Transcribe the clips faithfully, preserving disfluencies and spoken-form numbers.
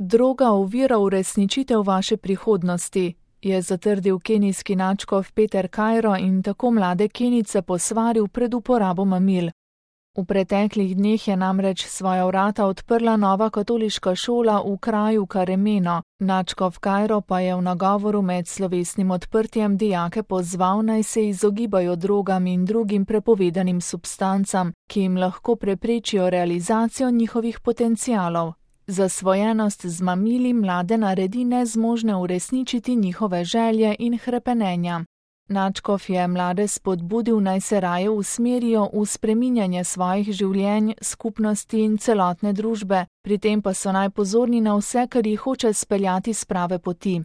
Droga ovira uresničitev vaše prihodnosti, je zatrdil kenijski nadškof Peter Cairo in tako mlade Kenijce posvaril pred uporabo mamil. V preteklih dneh je namreč svoja vrata odprla nova katoliška šola v kraju Karemeno. Nadškof Cairo pa je v nagovoru med slovesnim odprtjem dijake pozval, naj se izogibajo drogam in drugim prepovedanim substancam, ki jim lahko preprečijo realizacijo njihovih potencialov. Zasvojenost z mamili mlade naredi nezmožne uresničiti njihove želje in hrepenenja. Nadškof je mlade spodbudil, naj se raje usmerijo v spreminjanje svojih življenj, skupnosti in celotne družbe, pri tem pa so naj pozorni na vse, kar jih hoče speljati s prave poti.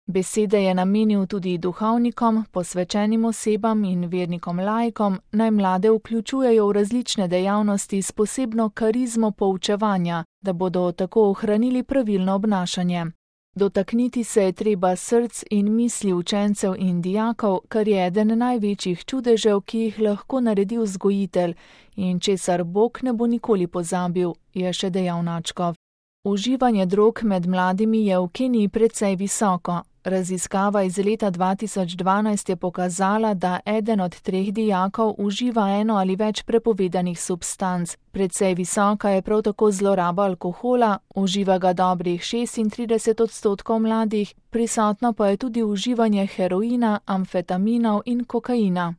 Besede je namenil tudi duhovnikom, posvečenim osebam in vernikom laikom, naj mlade vključujejo v različne dejavnosti s posebno karizmo poučevanja, da bodo tako ohranili pravilno obnašanje. Dotakniti se je treba src in misli učencev in dijakov, kar je eden največjih čudežev, ki jih lahko naredi vzgojitelj in česar Bog ne bo nikoli pozabil, je še dejal nadškof. Uživanje drog med mladimi je v Keniji precej visoko. Raziskava iz leta dva tisoč dvanajst je pokazala, da eden od treh dijakov uživa eno ali več prepovedanih substanc. Precej visoka je prav tako zloraba alkohola, uživa ga dobrih šestintrideset odstotkov mladih, prisotno pa je tudi uživanje heroina, amfetaminov in kokaina.